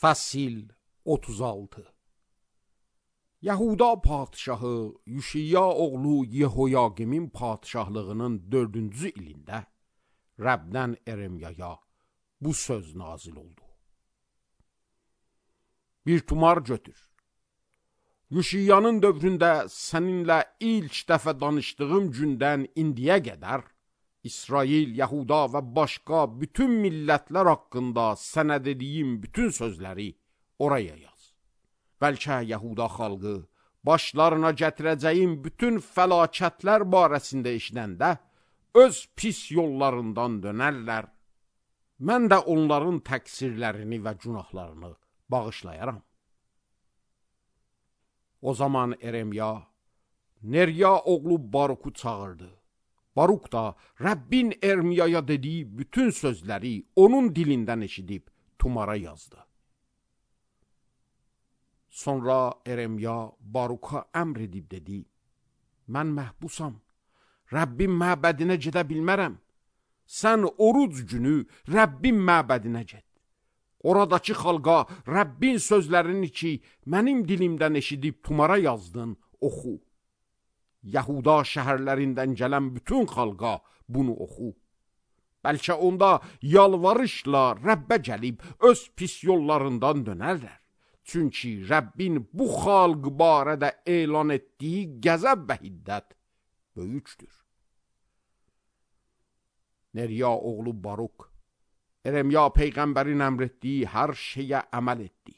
Fəsil 36. Yahuda padşahı Yuşiya oğlu Yehoyaqimin padşahlığının 4-cü ilində Rəbdən Eremyaya bu söz nazil oldu. Bir tumar götür. Yuşiyanın dövründə səninlə ilk dəfə danışdığım gündən indiyə qədər İsrail, Yahuda və başqa bütün millətlər haqqında sənə dediyim bütün sözləri oraya yaz. Bəlkə Yahuda xalqı başlarına gətirəcəyim bütün fəlakətlər barəsində eşidəndə öz pis yollarından dönərlər. Mən də onların təqsirlərini və günahlarını bağışlayaram. O zaman Eremya, Nerya oğlu Baruku çağırdı. Baruk da Rəbbin Ermiyaya dediyi bütün sözləri onun dilindən eşidib tumara yazdı. Sonra Eremya Baruka əmr edib dedi, mən məhbusam, Rəbbin məbədinə gedə bilmərəm. Sən oruc günü Rəbbin məbədinə get. Oradakı xalqa Rəbbin sözlərini ki, mənim dilimdən eşidib tumara yazdın, oxu. Yahuda şəhərlərindən gələn bütün xalqa bunu oxu. Bəlkə onda yalvarışla Rəbbə gəlib öz pis yollarından dönərlər. Çünki Rəbbin bu xalq barədə elan etdiyi qəzəb və hiddət böyükdür. Nerya oğlu Baruk, Eremya peyğəmbərin əmr etdiyi hər şeyə əməl etdi.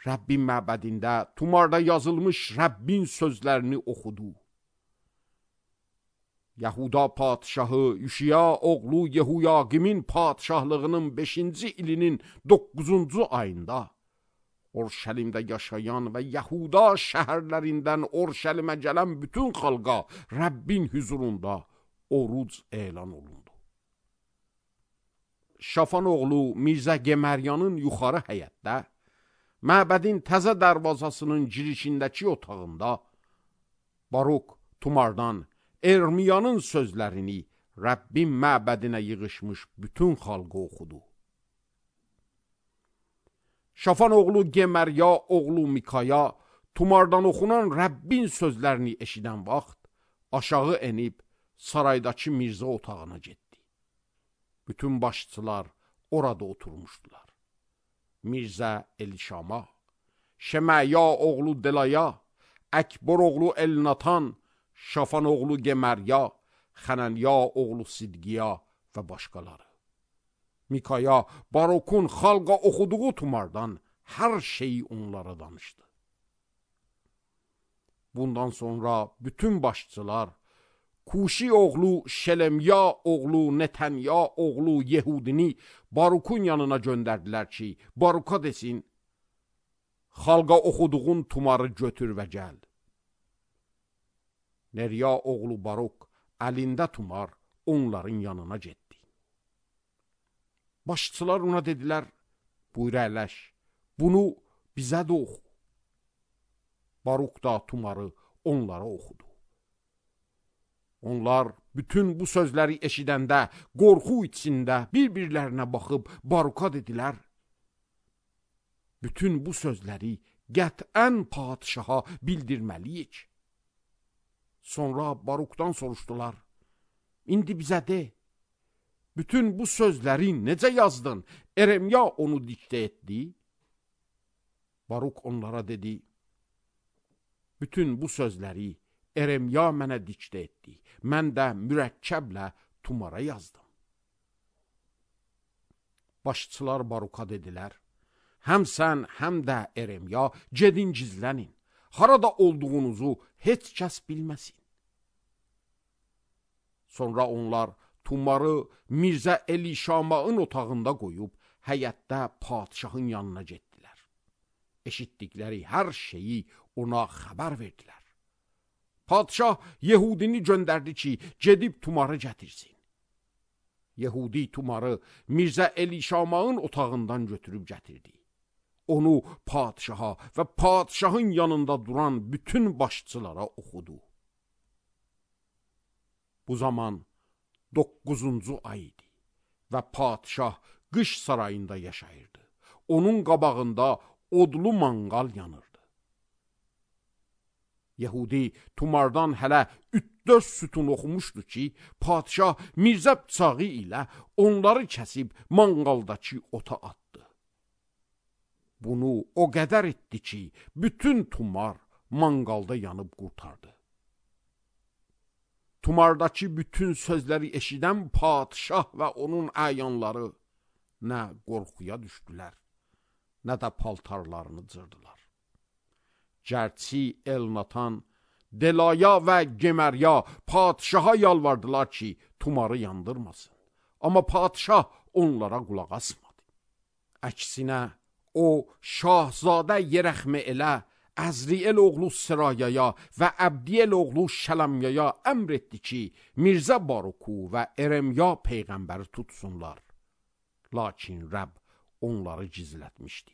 Rəbbin məbədində tumarda yazılmış Rəbbin sözlərini oxudu. Yahuda padşahı Yuşiya oğlu Yehoyaqimin padşahlığının 5-ci ilinin 9-cu ayında Orşəlimdə yaşayan və Yahuda şəhərlərindən Orşəlimə gələn bütün xalqa Rəbbin hüzurunda oruc elan olundu. Şafan oğlu Mirzə Gemeryanın yuxarı həyətdə, məbədin təzə dərvazasının girişindəki otağında Baruk tumardan Ermiyanın sözlərini Rəbbin məbədinə yığışmış bütün xalqı oxudu. Şafan oğlu Gemerya oğlu Mikaya tumardan oxunan Rəbbin sözlərini eşidən vaxt aşağı enib saraydakı Mirzə otağına getdi. Bütün başçılar orada oturmuşdular. Mirzə Elişama, Şəməya oğlu Delaya, Əkbor oğlu Elnatan, Şafan oğlu Gemerya, Xənanya oğlu Sidgiya və başqaları. Mikaya Barukun xalqa oxuduğu tumardan hər şeyi onlara danışdı. Bundan sonra bütün başçılar Kuşi oğlu Şelemya oğlu Netanya oğlu Yehudini Barukun yanına göndərdilər ki, Baruka desin, xalqa oxuduğun tumarı götür və gəl. Nerya oğlu Baruk əlində tumar onların yanına getdi. Başçılar ona dedilər, buyur əyləş, bunu bizə də oxu. Baruk da tumarı onlara oxudu. Onlar bütün bu sözləri eşidəndə qorxu içində bir-birlərinə baxıb Baruka dedilər, bütün bu sözləri qətən padşaha bildirməliyik. Sonra Barukdan soruşdular, indi bizə de, bütün bu sözləri necə yazdın? Eremya onu diktə etdi. Baruk onlara dedi, bütün bu sözləri Eremya mənə diktə etdi. Mən də mürəkkəblə tumara yazdım. Başçılar Baruka dedilər, həm sən, həm də Eremya gedin gizlənin. Harada olduğunuzu heç kəs bilməsin. Sonra onlar tumarı Mirzə Elişama'ın otağında qoyub, həyətdə padşahın yanına getdilər. Eşitdikləri hər şeyi ona xəbər verdilər. Padşah Yehudini göndərdi ki, gedib tumarı gətirsin. Yehudi tumarı Mirzə Elişama'ın otağından götürüb gətirdi. Onu padşaha və padşahın yanında duran bütün başçılara oxudu. Bu zaman 9-cu ay idi və padşah qış sarayında yaşayırdı. onun qabağında odlu manqal yanırdı. Yəhudi tumardan hələ 3-4 sütun oxumuşdu ki, padişah Mirzə bıçağı ilə onları kəsib manqaldakı ota atdı. Bunu o qədər etdi ki, bütün tumar manqalda yanıb qurtardı. Tumardakı bütün sözləri eşidən padişah və onun əyanları nə qorxuya düşdülər, nə də paltarlarını cırdılar. Gərçi Elnatan, Delaya və Gemerya padişaha yalvardılar ki, tumarı yandırmasın. Amma padişah onlara qulaq asmadı. Əksinə, o, Şahzadə Yerəxmə elə Əzriel oğlu Sırayaya və Əbdiyel oğlu Şələmyaya əmr etdi ki, Mirzə Baruku və Eremya peyğəmbəri tutsunlar. Lakin Rəbb onları gizlətmişdi.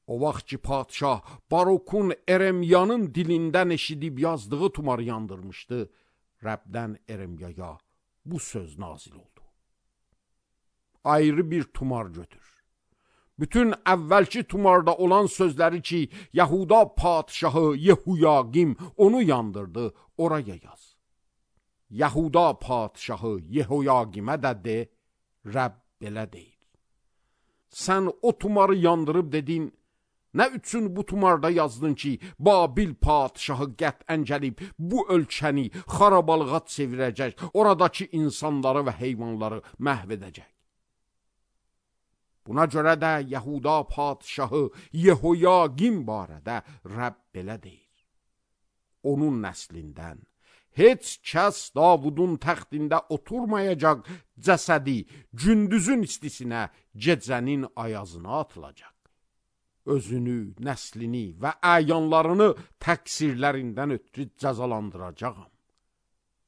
O vaxt ki, padişah Barukun Eremyanın dilindən eşidib yazdığı tumarı yandırmışdı, Rəbdən Eremyaya bu söz nazil oldu. Ayrı bir tumar götür. Bütün əvvəlki tumarda olan sözləri ki, Yahuda padişahı Yehuyagim onu yandırdı, oraya yaz. Yahuda padişahı Yehuyagimə də de, Rəbb belə deyir. Sən o tumarı yandırıb dedin, nə üçün bu tumarda yazdın ki, Babil padişahı qətən gəlib bu ölkəni xarabalığa çevirəcək, oradakı insanları və heyvanları məhv edəcək. Buna görə də Yahuda padişahı Yehoyagim barədə Rəbb belə deyir. Onun nəslindən heç kəs Davudun təxtində oturmayacaq, cəsədi gündüzün istisinə, gecənin ayazına atılacaq. Özünü, nəslini və əyanlarını təqsirlərindən ötürü cəzalandıracağam.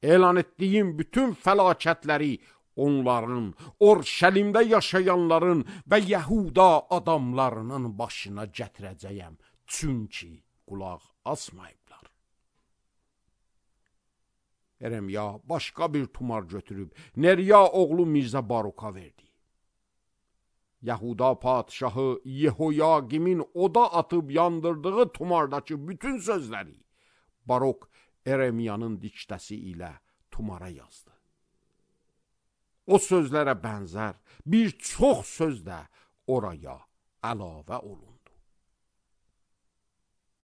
Elan etdiyim bütün fəlakətləri onların, Orşəlimdə yaşayanların və Yahuda adamlarının başına gətirəcəyəm. Çünki qulaq asmayıblar. Eremya başqa bir tumar götürüb Nerya oğlu Mirzə Baruka verdi. Yahuda padişahı Yehoyagimin oda atıb yandırdığı tumardakı bütün sözləri Baruk Eremyanın diktəsi ilə tumara yazdı. O sözlərə bənzər bir çox söz də oraya əlavə olundu.